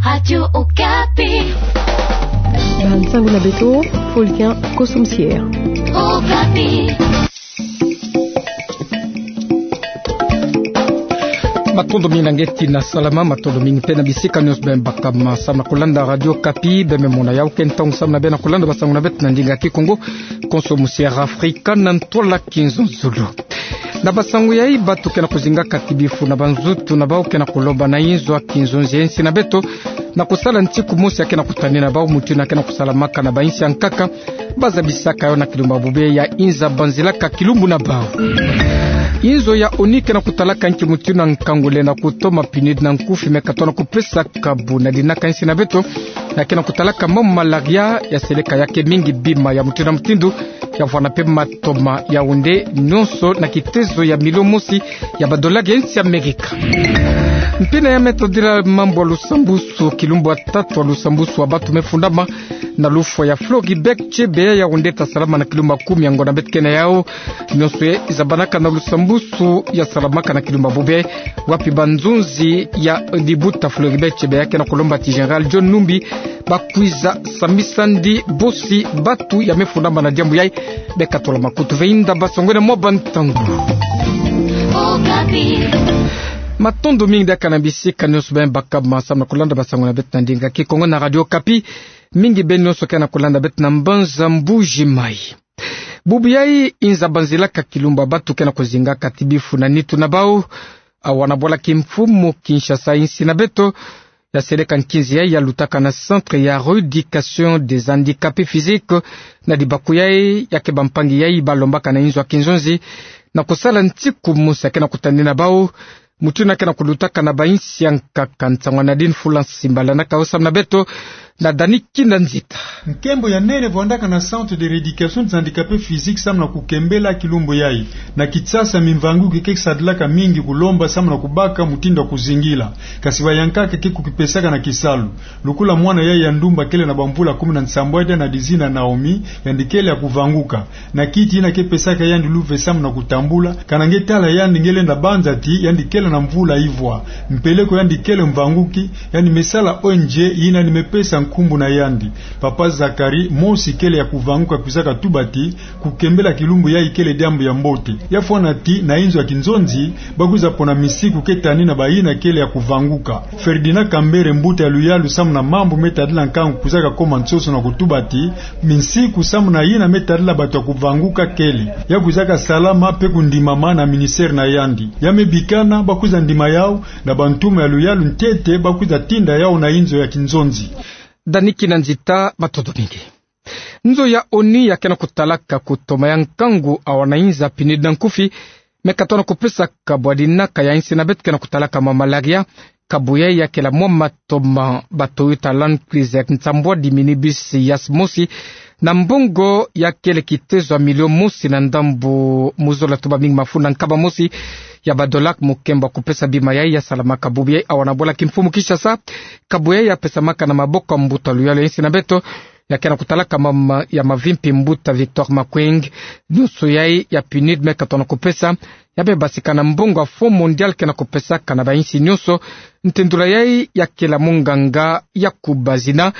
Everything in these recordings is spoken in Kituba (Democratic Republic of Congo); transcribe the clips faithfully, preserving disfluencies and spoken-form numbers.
Radio Okapi. Bansango na beto, Fulgent Kosomusier. Okapi. Matondo mingi na ngeti na salama, matondo mingi mpe na bisika nyonso beno baka ma samu na kulanda Radio Okapi, beno me mona yawu ke ntangu samu na beno kulanda basango na beto na ndinga Kikongo, Kosomusier Afrika na ntwala Kinzonzolo. Na basango yai, batu ke na kuzinga kati bifu na banzutu na bau ke na kulomba na inzo ya kinzonzi ya insi na beto na kusala ntiku mosi ya ke na kutani na bau mutindu ya ke na kusalamaka na bainsi ya nkaka, bazabisaka yo na kilumbu ya bobia ya inza banzilaka kilumbu na bau. Inzo ya ONU ke na kutalaka nki mutindu ya nkangu lenda kutoma PNUD na nkufi me katona kupesa kabu na dinaka insi na beto, ya ke na kutalaka mambu malaria, ya seleka ya ke mingi bima ya mutindu na mutindu, ya vwanda mpe matoma Yaoundé nyonso na kitezo ya milio mosi ya badola ya insi ya Amerika. Mpina ya me tadila mambu ya lusambusu, kilumbu ya tatu ya lusambusu ya batu me fundama na lufwa ya Floribert Chebeya ya Yaoundé ta salama na kilumbu ya kumi ya ngonda beto ke na yawu. Nyonso yai zabanaka na lusambusu ya salamaka na kilumbu ya bobia, wapi banzonzi ya libuta Floribert Chebeya ke na kulomba ti Général John Numbi bakwiza sambisa ndi bosi batu ya me fundama na diambu yai. Beka tola makutu ve inda basango na mwa bantangu. Matondo mingi diaka na bisika nyonso beno baka ma samu na kulanda basango na beto na ndinga Kikongo na Radio Okapi. Mingi beno nyonso ke na kulanda beto na mbanza Mbuji Mayi. Bubu yai inza banzilaka kilumbu ya batu ke na kuzinga kati bifu na nitu na bau. Awa na bwala kimfumu Kinshasa, insi na beto, ya seleka nkinzi yai ya lutaka na Centre ya Rééducation des Handicapés Physiques na libaku yai ya ke bampangi yai balombaka na inzo ya kinzonzi na kusala ntiku mosi ya ke na kutani na bau, mutindu ya ke na kulutaka na bainsi ya nkaka. Nsangu na Nadine Fula Nsimba landaka yo samu na beto na Dani Kina Nzita. Nkembo ya nene vwandaka na Centre de Rééducation des Handicapés Physiques samu na kukembela kilumbu yai. Na Kinshasa, mimvanguki ke sadilaka mingi kulomba samu na kubaka mutindu ya kuzingila. Kasi bayankaka ke kukipesaka na kisalu. Lokola mwana yai ya ndumba kele na bamvula kumi na nsambwadi, yandi na dizina Naomi, yandi kele ya kuvanguka. Na kiti yina ke pesaka yandi luve samu na kutambula, kana nge tala yandi nge lenda banza ti yandi kele na mvula ivwa. Mpeleko yandi kele mvanguki, yandi me sala O N G yina yandi me pesa nkumbu na yandi. Papa Zacharie mosi kele ya kuvanguka kwizaka tuba ti kukembela kilumbu yai kele diambu ya mbote. Ya fwana ti na inzo ya kinzonzi, bakwiza pona misiku ke tani na bayina kele ya kuvanguka. Ferdinand Kambere, mbuta ya luyalu samu na mambu me tadila nkangu, kwizaka koma nsoso na kutuba ti, misiku samu na yina me tadila batu ya kuvanguka kele. Ya kwizaka salama mpe kundimama na ministère na yandi. Ya me bikana bakwiza ndima yawu na bantuma ya luyalu ntete bakwiza tinda yawu na inzo ya kinzonzi. Dani Kina Nzita, matondo mingi. Nzo ya ONU ya ke na kutalaka kutoma ya nkangu awa na inza PNUD na nkufi, me katona kupesa kabu ya dinaka ya insi na beto ke na kutalaka mwa malaria. Kabu yai ya kela mwa matoma ba Toyota Land Cruiser nsambwadi, minibus yas mosi, na mbongo ya kele kitezo ya milio mosi na ndambu mu zola tubaming mafunda nkaba mosi ya badola. Mukembo ya kupesa bima yai ya salamaka bubu yai awa na bwala kimfumu Kinshasa. Kabu yai ya pesamaka na maboko ya mbuta luyalu ya insi na beto ya ke na kutalaka mama ya mavimpi, mbuta Victor Makweng. Nyonso yai ya PNUD me katona kupesa ya me basika na mbongo ya Fonds Mondial ke na kupesaka na bainsi nyonso. Ntendula yai ya kela munganga Yakubazina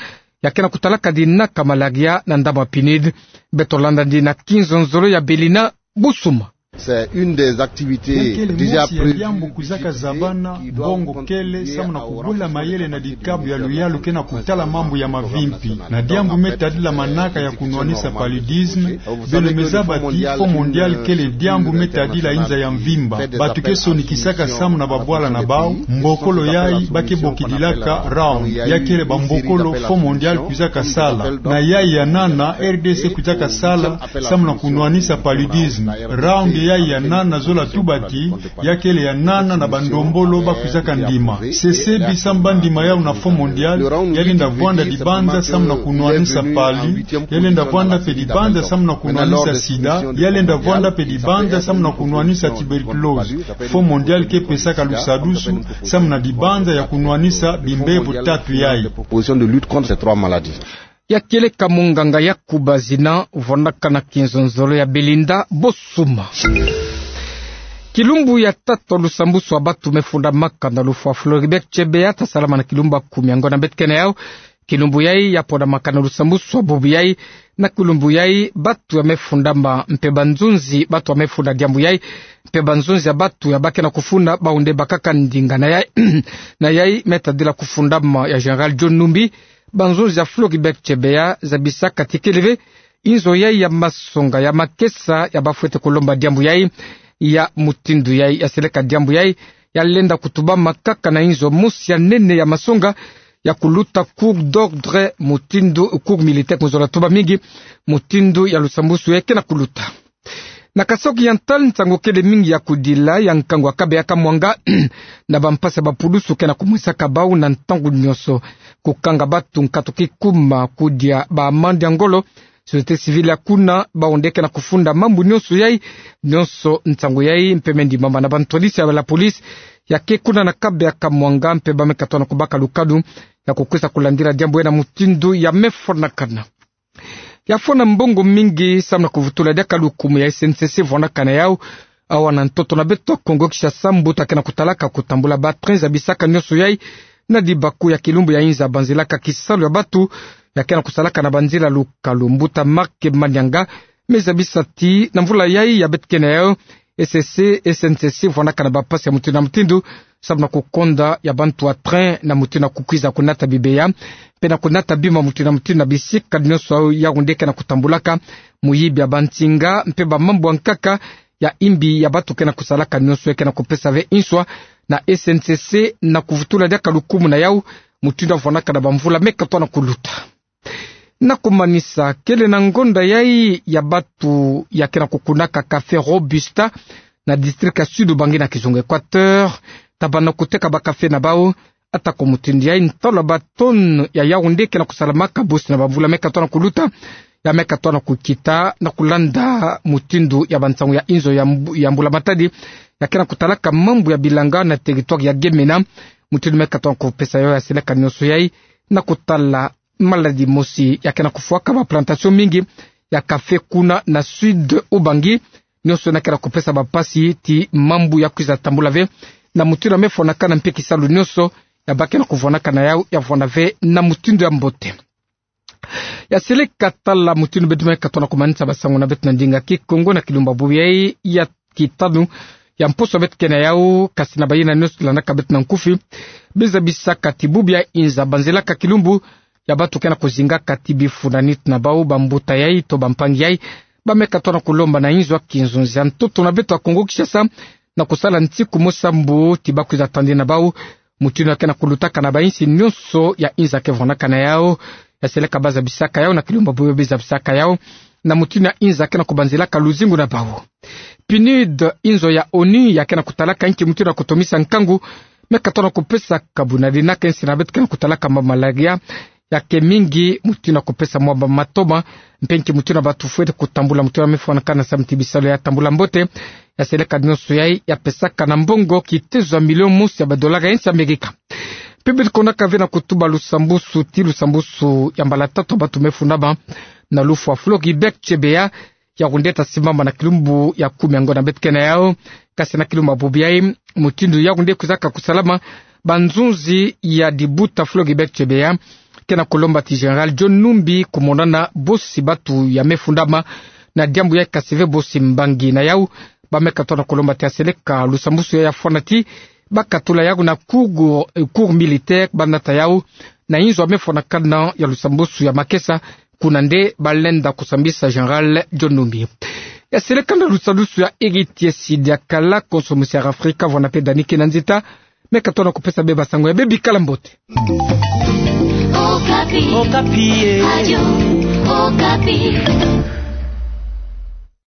ya ke na kutalaka dinaka malaria na ndambu ya PNUD. Beto landa ndi na kinzonzolo ya Belina Busuma. C'est une des activités déjà prévues. Ya kele mosi ya diambu kwizaka zabana, mbongo kele samu na kubula mayele na dikabu ya luyalu ke na kutala mambu ya mavimpi. Na diambu me tadila manaka ya kunwanisa paludisme, beno me zaba ti Fonds Mondial kele diambu me tadila inza ya mvimba. Batu ke sonikisaka samu na babwala na bau, mbokolo yai ba ke bokidilaka round. Ya kele bambokolo Fonds Mondial kwizaka sala. Na yai ya nana, R D C kwizaka sala samu na kunwanisa paludisme. Round yai ya nana, zola tuba ti ya kele ya nana na bandombolo ba kwizaka ndima. Sesebi samu ba ndima yawu na Fonds Mondial, ya lenda vwanda dibanza samu na kunwanisa palu, ya lenda vwanda mpe dibanza samu na kunwanisa sida, ya lenda vwanda mpe dibanza samu na kunwanisa tuberculose. Fonds Mondial ke pesaka lusadusu samu na dibanza ya kunwanisa bimbevo tatu yai. Proposition de lutte contre ces trois maladies. Ya kele ka munganga Yakubazina, vwandaka na kinzonzolo ya Belinda Bosuma. Kilumbu ya tatu ya lusambuswani ya batu mefundamaka na lufwa Floribert Chebeya ta salamana kilumbu ya kumi ya ngonda beto kena yau. Kilumbu yai ya pondamaka na lusambuswani ya bubu yai, na kilumbu yai batu ya mefundama mpe banzonzi batu ya mefunda diambu yai, mpe banzonzi ya batu ya bakena kufunda, bau nde bakaka ndinga na yai, na yai me tadila kufundama ya Général John Numbi. Banzonzi ya Floribert Chebeya zabisaka ti kele ve inzo yai ya masonga ya makesa ya bafwete kulomba diambu yai, ya mutindu yai ya seleka diambu yai ya lenda kutubama kaka na inzo mosi ya nene ya masonga, ya kuluta cour d'ordre mutindu cour militaire, ku nzola tuba mingi, mutindu ya lusambusu yai kena kuluta. Na Kasaï Oriental, nsangu kele mingi ya kudila ya nkangu ya kabe ya Kamwanga na bampasi ya bapulusu kena kumwisaka bau na ntangu nyonso, kukanga batu nkatu kikuma, kudia ba amande ya ngolo. Société civile ya kuna, bau nde kena kufunda mambu nyonso yai, nyonso nsangu yai mpe me ndimama na bantwadisi ya la police ya ke kuna na kabe ya Kamwanga, mpe ba me katona kubaka lukadu ya kukwiza kulandila diambu yai na mutindu ya mefwanakana. Ya fwana mbongo mingi samu na kuvutula diaka lukumu ya S N C C vwanakana yau awa na ntoto na beto Kongo Kinshasa, mbuta kena kutalaka kutambula ba train zabisaka nyonso yai na dibaku ya kilumbu ya inza banzilaka kisalu ya batu ya kena kusalaka na banzila lukalu. Mbuta Marc Manianga me zabisa ti na mvula yai ya beto kena yau, S N C C, S N C C vwanakana bampasi ya mutindu na mutindu samu na kukonda ya bantu ya train na mutindu na kukwiza kunata bibeya, mpe na kunata bima mutindu na mutindu na bisika nyonso yau nde kena kutambulaka. Muyibi ya bansinga mpe bamambu ya nkaka ya imbi ya batu kena kusalaka nyonso yai kena kupesa ve nswa na S N C C na kuvutula diaka lukumu na yau mutindu ya vwanakana bamvula me katona kuluta. Na kumanisa, kele na ngonda yai ya batu ya kena kukunaka café Robusta na district ya Sud-Ubangi na kizunga Équateur, tabana kuteka ba café na bau. Atako mutindu yai, ntalu ya ba tonne ya yau nde kena kusalamaka bosi na bamvula me katona kuluta, ya me katona kukita na kulanda mutindu ya bansangu ya inzo ya mbu-, ya mbula matadi ya kena kutalaka mambu ya bilanga na territoire ya Gemena. Mutindu me katona kupesa yau ya seleka nyonso yai na kutala maladie mosi ya kena kufwaka ba plantation mingi ya café kuna na Sud-Ubangi. Nyonso na kena kupesa bampasi ti mambu ya kwiza tambula ve na mutindu ya mefwanakana, mpe kisalu nyonso ya bakena kuvwanakana yau ya vwana ve na mutindu ya mbote. Ya seleka tala mutindu beto me katona kumanisa basangu na beto na ndinga Kikongo na kilumbu ya bubu yai ya kitanu ya mposo beto kena yau, kasi na bayina nyonso landaka beto na nkufi, be zabisaka ti bubu ya inza banzilaka kilumbu ya batu kena kuzingaka ti bifuna nitu na bau, bambuta yai to bampangi yai, ba me katona kulomba na inzo ya kinzonzi ya ntoto na beto ya Kongo Kinshasa na kusala nsiku mosi sambu ti bakwiza tandi na bau. Mutindu ya kena kulutaka na bainsi nyonso ya inza ke vwanakana yau, ya seleka ba zabisaka yau na kilumbu ya bubu yai be zabisaka yau na mutindu ya inza kena kubanzilaka luzingu na bau. PNUD, inzo ya ONU ya kena kutalaka inki mutindu ya kutomisa nkangu, me katona kupesa kabu na dinaka insi na beto kena kutalaka mwa malaria ya ke mingi, mutindu ya kupesa mwa ba matoma, mpe inki mutindu ya batu fwete kutambula mutindu ya mefwanakana samu ti bisalu ya tambula mbote. Ya seleka nyonso yai ya pesaka na mbongo kitezo ya milio mosi ya ba dollars ya insi Amerika. Mpe beto konaka ve na kutuba lusambusu ti lusambusu ya mbala tatu ya batu mefundama na lufwa Floribert Chebeya, yau nde ta simbama na kilumbu ya kumi ya ngonda beto kena yau. Kasi na kilumbu ya bubu yai, mutindu yau nde kwizaka kusalama, banzonzi ya dibuta Floribert Chebeya kena kulomba ti Général John Numbi kumonana bosi batu ya mefundama na diambu yai, kasi ve bosi mbangi na yau. Ba me katona kulomba ti ya seleka lusambusu yai ya fwana ti ba katula yau na cour, eh, cour militaire, ba nata yau na inzo ya mefwanakana ya lusambusu ya makesa, kuna nde ba lenda kusambisa Général John Numbi. Ya seleka na lusambusu ya Héritier Sidi ya kala konso musi ya Afrika, vwana mpe Dani Kinanzita, me katona kupesa be basangu ya be bikala mbote. Okapi. Okapi, eh. Radio Okapi.